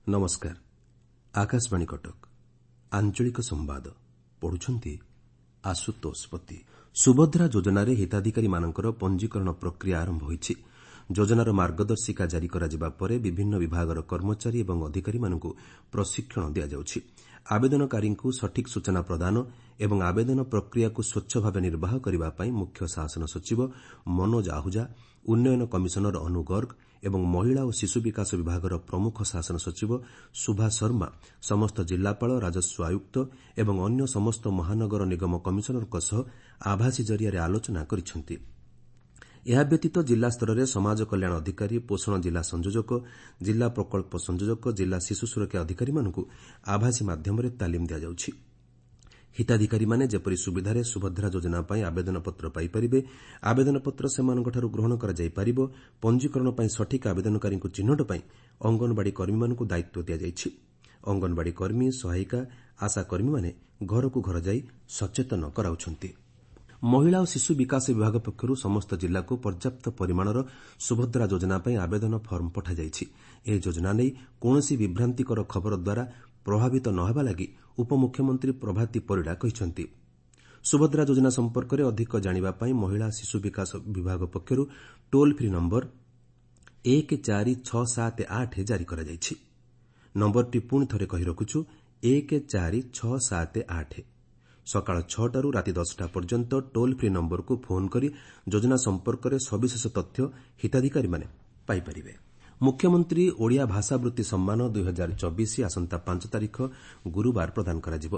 ନମସ୍କାର, ଆକାଶବାଣୀ କଟକ, ଆଞ୍ଚଳିକ ସମ୍ବାଦ ପଢୁଛନ୍ତି ଆଶୁତୋଷ ପତି। ସୁଭଦ୍ରା ଯୋଜନାରେ ହିତାଧିକାରୀମାନଙ୍କର ପଞ୍ଜୀକରଣ ପ୍ରକ୍ରିୟା ଆରମ୍ଭ ହୋଇଛି। ଯୋଜନାର ମାର୍ଗଦର୍ଶିକା ଜାରି କରାଯିବା ପରେ ବିଭିନ୍ନ ବିଭାଗର କର୍ମଚାରୀ ଏବଂ ଅଧିକାରୀମାନଙ୍କୁ ପ୍ରଶିକ୍ଷଣ ଦିଆଯାଉଛି। ଆବେଦନକାରୀଙ୍କୁ ସଠିକ୍ ସୂଚନା ପ୍ରଦାନ ଏବଂ ଆବେଦନ ପ୍ରକ୍ରିୟାକୁ ସ୍ୱଚ୍ଛ ଭାବେ ନିର୍ବାହ କରିବା ପାଇଁ ମୁଖ୍ୟ ଶାସନ ସଚିବ ମନୋଜ ଆହୁଜା, ଉନ୍ନୟନ କମିଶନର ଅନୁ ଗର୍ଗ ଏବଂ ମହିଳା ଓ ଶିଶୁ ବିକାଶ ବିଭାଗର ପ୍ରମୁଖ ଶାସନ ସଚିବ ଶୁଭା ଶର୍ମା ସମସ୍ତ ଜିଲ୍ଲାପାଳ, ରାଜସ୍ୱ ଆୟୁକ୍ତ ଏବଂ ଅନ୍ୟ ସମସ୍ତ ମହାନଗର ନିଗମ କମିଶନରଙ୍କ ସହ ଆଭାସୀ ଜରିଆରେ ଆଲୋଚନା କରିଛନ୍ତି। ଏହା ବ୍ୟତୀତ ଜିଲ୍ଲାସ୍ତରରେ ସମାଜ କଲ୍ୟାଣ ଅଧିକାରୀ, ପୋଷଣ ଜିଲ୍ଲା ସଂଯୋଜକ, ଜିଲ୍ଲା ପ୍ରକଳ୍ପ ସଂଯୋଜକ, ଜିଲ୍ଲା ଶିଶୁ ସୁରକ୍ଷା ଅଧିକାରୀମାନଙ୍କୁ ଆଭାସୀ ମାଧ୍ୟମରେ ତାଲିମ ଦିଆଯାଉଛି। ହିତାଧିକାରୀମାନେ ଯେପରି ସୁବିଧାରେ ସୁଭଦ୍ରା ଯୋଜନା ପାଇଁ ଆବେଦନପତ୍ର ପାଇପାରିବେ, ଆବେଦନପତ୍ର ସେମାନଙ୍କଠାରୁ ଗ୍ରହଣ କରାଯାଇପାରିବ, ପଞ୍ଜୀକରଣ ପାଇଁ ସଠିକ୍ ଆବେଦନକାରୀଙ୍କୁ ଚିହ୍ନଟ ପାଇଁ ଅଙ୍ଗନବାଡ଼ି କର୍ମୀମାନଙ୍କୁ ଦାୟିତ୍ୱ ଦିଆଯାଇଛି। ଅଙ୍ଗନବାଡ଼ି କର୍ମୀ, ସହାୟିକା, ଆଶା କର୍ମୀମାନେ ଘରକୁ ଘର ଯାଇ ସଚେତନ କରାଉଛନ୍ତି। ମହିଳା ଓ ଶିଶୁ ବିକାଶ ବିଭାଗ ପକ୍ଷରୁ ସମସ୍ତ ଜିଲ୍ଲାକୁ ପର୍ଯ୍ୟାପ୍ତ ପରିମାଣର ସୁଭଦ୍ରା ଯୋଜନା ପାଇଁ ଆବେଦନ ଫର୍ମ ପଠାଯାଇଛି। ଏହି ଯୋଜନା ନେଇ କୌଣସି ବିଭ୍ରାନ୍ତିକର ଖବର ଦ୍ୱାରା ପ୍ରଭାବିତ ନ ହେବା ଲାଗି ଉପମୁଖ୍ୟମନ୍ତ୍ରୀ ପ୍ରଭାତୀ ପରିଡ଼ା କହିଛନ୍ତି। ସୁଭଦ୍ରା ଯୋଜନା ସମ୍ପର୍କରେ ଅଧିକ ଜାଣିବା ପାଇଁ ମହିଳା ଶିଶୁ ବିକାଶ ବିଭାଗ ପକ୍ଷରୁ ଟୋଲ୍ ଫ୍ରି ନମ୍ବର 14678 ଜାରି କରାଯାଇଛି। ନମ୍ବରଟି ପୁଣି ଥରେ କହି ରଖୁଛୁ, 14678। ସକାଳ 6ଟାରୁ ରାତି 10ଟା ପର୍ଯ୍ୟନ୍ତ ଟୋଲ୍ ଫ୍ରି ନମ୍ବରକୁ ଫୋନ୍ କରି ଯୋଜନା ସମ୍ପର୍କରେ ସବିଶେଷ ତଥ୍ୟ ହିତାଧିକାରୀମାନେ ପାଇପାରିବେ। ମୁଖ୍ୟମନ୍ତ୍ରୀ ଓଡ଼ିଆ ଭାଷାବୃତ୍ତି ସମ୍ମାନ 2024 ଆସନ୍ତା 5 ତାରିଖ ଗୁରୁବାର ପ୍ରଦାନ କରାଯିବ।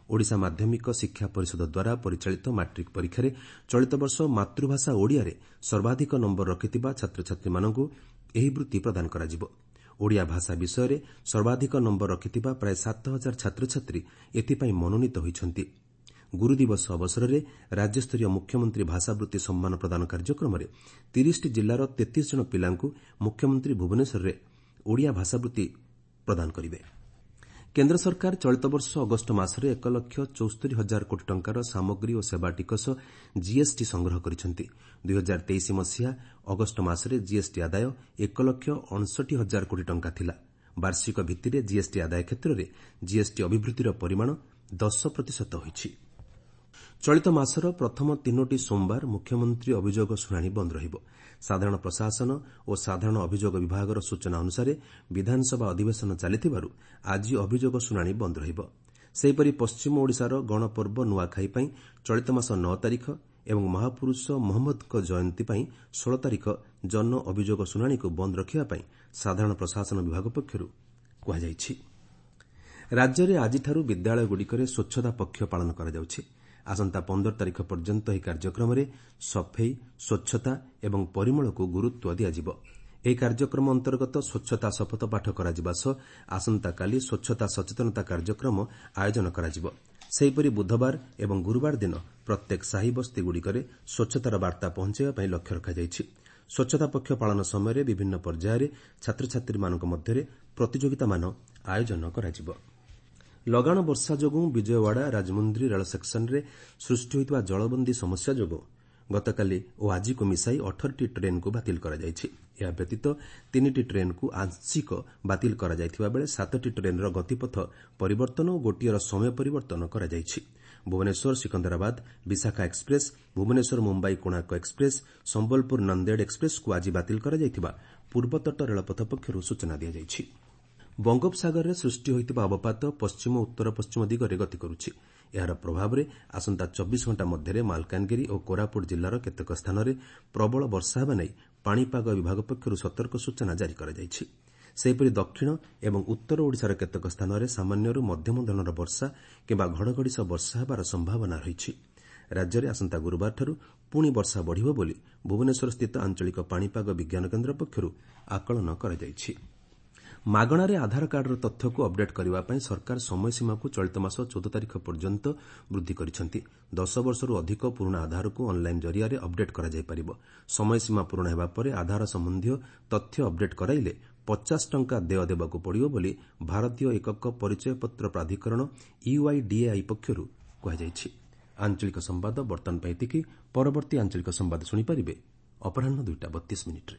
ଓଡ଼ିଶା ମାଧ୍ୟମିକ ଶିକ୍ଷା ପରିଷଦ ଦ୍ୱାରା ପରିଚାଳିତ ମାଟ୍ରିକ୍ ପରୀକ୍ଷାରେ ଚଳିତ ବର୍ଷ ମାତୃଭାଷା ଓଡ଼ିଆରେ ସର୍ବାଧିକ ନମ୍ବର ରଖିଥିବା ଛାତ୍ରଛାତ୍ରୀମାନଙ୍କୁ ଏହି ବୃତ୍ତି ପ୍ରଦାନ କରାଯିବ। ଓଡ଼ିଆ ଭାଷା ବିଷୟରେ ସର୍ବାଧିକ ନମ୍ବର ରଖିଥିବା ପ୍ରାୟ 7 ହଜାର ଛାତ୍ରଛାତ୍ରୀ ଏଥିପାଇଁ ମନୋନୀତ ହୋଇଛନ୍ତି। ଗୁରୁଦିବସ ଅବସରରେ ରାଜ୍ୟସ୍ତରୀୟ ମୁଖ୍ୟମନ୍ତ୍ରୀ ଭାଷାବୃତ୍ତି ସମ୍ମାନ ପ୍ରଦାନ କାର୍ଯ୍ୟକ୍ରମରେ 30ଟି ଜିଲ୍ଲାର 33 ଜଣ ପିଲାଙ୍କୁ ମୁଖ୍ୟମନ୍ତ୍ରୀ ଭୁବନେଶ୍ୱରରେ ଓଡ଼ିଆ ଭାଷାବୃତ୍ତି ପ୍ରଦାନ କରିବେ। କେନ୍ଦ୍ର ସରକାର ଚଳିତ ବର୍ଷ ଅଗଷ୍ଟ ମାସରେ 1 ଲକ୍ଷ 74 ହଜାର କୋଟି ଟଙ୍କାର ସାମଗ୍ରୀ ଓ ସେବା ଟିକସ, ଜିଏସ୍ଟି ସଂଗ୍ରହ କରିଛନ୍ତି। 2023 ମସିହା ଅଗଷ୍ଟ ମାସରେ ଜିଏସ୍ଟି ଆଦାୟ 1 ଲକ୍ଷ 59 ହଜାର କୋଟି ଟଙ୍କା ଥିଲା। ବାର୍ଷିକ ଭିତ୍ତିରେ ଜିଏସ୍ଟି ଆଦାୟ କ୍ଷେତ୍ରରେ ଜିଏସ୍ଟି ଅଭିବୃଦ୍ଧିର ପରିମାଣ 10% ହୋଇଛି। ଚଳିତ ମାସର ପ୍ରଥମ ତିନୋଟି ସୋମବାର ମୁଖ୍ୟମନ୍ତ୍ରୀ ଅଭିଯୋଗ ଶୁଣାଣି ବନ୍ଦ ରହିବ। ସାଧାରଣ ପ୍ରଶାସନ ଓ ସାଧାରଣ ଅଭିଯୋଗ ବିଭାଗର ସୂଚନା ଅନୁସାରେ ବିଧାନସଭା ଅଧିବେଶନ ଚାଲିଥିବାରୁ ଆଜି ଅଭିଯୋଗ ଶୁଣାଣି ବନ୍ଦ ରହିବ। ସେହିପରି ପଶ୍ଚିମ ଓଡ଼ିଶାର ଗଣପର୍ବ ନୂଆଖାଇ ପାଇଁ ଚଳିତ ମାସ 9 ତାରିଖ ଏବଂ ମହାପୁରୁଷ ମହମ୍ମଦଙ୍କ ଜୟନ୍ତୀ ପାଇଁ 16 ତାରିଖ ଜନ ଅଭିଯୋଗ ଶୁଣାଣିକୁ ବନ୍ଦ ରଖିବା ପାଇଁ ସାଧାରଣ ପ୍ରଶାସନ ବିଭାଗ ପକ୍ଷରୁ କୁହାଯାଇଛି। ରାଜ୍ୟରେ ଆଜିଠାରୁ ବିଦ୍ୟାଳୟଗୁଡ଼ିକରେ ସ୍ୱଚ୍ଛତା ପକ୍ଷ ପାଳନ କରାଯାଉଛି। ଆସନ୍ତା 15 ତାରିଖ ପର୍ଯ୍ୟନ୍ତ ଏହି କାର୍ଯ୍ୟକ୍ରମରେ ସଫେଇ, ସ୍ୱଚ୍ଛତା ଏବଂ ପରିମଳକୁ ଗୁରୁତ୍ୱ ଦିଆଯିବ। ଏହି କାର୍ଯ୍ୟକ୍ରମ ଅନ୍ତର୍ଗତ ସ୍ୱଚ୍ଛତା ଶପଥପାଠ କରାଯିବା ସହ ଆସନ୍ତାକାଲି ସ୍ୱଚ୍ଛତା ସଚେତନତା କାର୍ଯ୍ୟକ୍ରମ ଆୟୋଜନ କରାଯିବ। ସେହିପରି ବୁଧବାର ଏବଂ ଗୁରୁବାର ଦିନ ପ୍ରତ୍ୟେକ ସାହି ବସ୍ତିଗୁଡ଼ିକରେ ସ୍ୱଚ୍ଛତାର ବାର୍ତ୍ତା ପହଞ୍ଚାଇବା ପାଇଁ ଲକ୍ଷ୍ୟ ରଖାଯାଇଛି। ସ୍ୱଚ୍ଛତା ପକ୍ଷ ପାଳନ ସମୟରେ ବିଭିନ୍ନ ପର୍ଯ୍ୟାୟରେ ଛାତ୍ରଛାତ୍ରୀମାନଙ୍କ ମଧ୍ୟରେ ପ୍ରତିଯୋଗିତାମାନ ଆୟୋଜନ କରାଯିବ। ଲଗାଣ ବର୍ଷା ଯୋଗୁଁ ବିଜୟୱାଡ଼ା ରାଜମୁନ୍ଦ୍ରୀ ରେଳ ସେକ୍ସନରେ ସୃଷ୍ଟି ହୋଇଥିବା ଜଳବନ୍ଦୀ ସମସ୍ୟା ଯୋଗୁଁ ଗତକାଲି ଓ ଆଜିକୁ ମିଶାଇ 18ଟି ଟ୍ରେନ୍କୁ ବାତିଲ କରାଯାଇଛି। ଏହା ବ୍ୟତୀତ ତିନିଟି ଟ୍ରେନ୍କୁ ଆଂଶିକ ବାତିଲ କରାଯାଇଥିବା ବେଳେ ସାତଟି ଟ୍ରେନ୍ର ଗତିପଥ ପରିବର୍ତ୍ତନ ଓ ଗୋଟିଏର ସମୟ ପରିବର୍ତ୍ତନ କରାଯାଇଛି। ଭୁବନେଶ୍ୱର ସିକନ୍ଦରାବାଦ ବିଶାଖା ଏକ୍ସପ୍ରେସ୍, ଭୁବନେଶ୍ୱର ମୁମ୍ବାଇ କୋଣାର୍କ ଏକ୍ସପ୍ରେସ୍, ସମ୍ବଲପୁର ନନ୍ଦେଡ ଏକ୍ସପ୍ରେସ୍କୁ ଆଜି ବାତିଲ କରାଯାଇଥିବା ପୂର୍ବତଟ ରେଳପଥ ପକ୍ଷରୁ ସୂଚନା ଦିଆଯାଇଛି। ବଙ୍ଗୋପସାଗରରେ ସୃଷ୍ଟି ହୋଇଥିବା ଅବପାତ ପଶ୍ଚିମ ଉତ୍ତର ପଶ୍ଚିମ ଦିଗରେ ଗତି କରୁଛି। ଏହାର ପ୍ରଭାବରେ ଆସନ୍ତା 24 ଘଣ୍ଟା ମଧ୍ୟରେ ମାଲକାନଗିରି ଓ କୋରାପୁଟ ଜିଲ୍ଲାର କେତେକ ସ୍ଥାନରେ ପ୍ରବଳ ବର୍ଷା ହେବା ନେଇ ପାଣିପାଗ ବିଭାଗ ପକ୍ଷରୁ ସତର୍କ ସୂଚନା ଜାରି କରାଯାଇଛି। ସେହିପରି ଦକ୍ଷିଣ ଏବଂ ଉତ୍ତର ଓଡ଼ିଶାର କେତେକ ସ୍ଥାନରେ ସାମାନ୍ୟରୁ ମଧ୍ୟମ ଧରଣର ବର୍ଷା କିମ୍ବା ଘଡ଼ଘଡ଼ି ସହ ବର୍ଷା ହେବାର ସମ୍ଭାବନା ରହିଛି। ରାଜ୍ୟରେ ଆସନ୍ତା ଗୁରୁବାରଠାରୁ ପୁଣି ବର୍ଷା ବଢ଼ିବ ବୋଲି ଭୁବନେଶ୍ୱରସ୍ଥିତ ଆଞ୍ଚଳିକ ପାଣିପାଗ ବିଜ୍ଞାନ କେନ୍ଦ୍ର ପକ୍ଷରୁ ଆକଳନ କରାଯାଇଛି। ମାଗଣାରେ ଆଧାର କାର୍ଡର ତଥ୍ୟକୁ ଅପଡେଟ୍ କରିବା ପାଇଁ ସରକାର ସମୟସୀମାକୁ ଚଳିତ ମାସ 14 ତାରିଖ ପର୍ଯ୍ୟନ୍ତ ବୃଦ୍ଧି କରିଛନ୍ତି। 10 ବର୍ଷରୁ ଅଧିକ ପୁରୁଣା ଆଧାରକୁ ଅନ୍ଲାଇନ୍ ଜରିଆରେ ଅପଡେଟ୍ କରାଯାଇପାରିବ। ସମୟସୀମା ପୂରଣ ହେବା ପରେ ଆଧାର ସମ୍ବନ୍ଧୀୟ ତଥ୍ୟ ଅପଡେଟ୍ କରାଇଲେ 50 ଟଙ୍କା ଦେୟ ଦେବାକୁ ପଡ଼ିବ ବୋଲି ଭାରତୀୟ ଏକକ ପରିଚୟପତ୍ର ପ୍ରାଧିକରଣ, ୟୁଆଇଡିଏଆଇ ପକ୍ଷରୁ କୁହାଯାଇଛି। ଆଞ୍ଚଳିକ ସମ୍ବାଦ ବର୍ତ୍ତମାନ ପାଇଁ ଏତିକି। ପରବର୍ତ୍ତୀ ଆଞ୍ଚଳିକ ସମ୍ବାଦ ଶୁଣିପାରିବେ ଅପରାହ୍ନ 2ଟା 32 ମିନିଟ୍ରେ।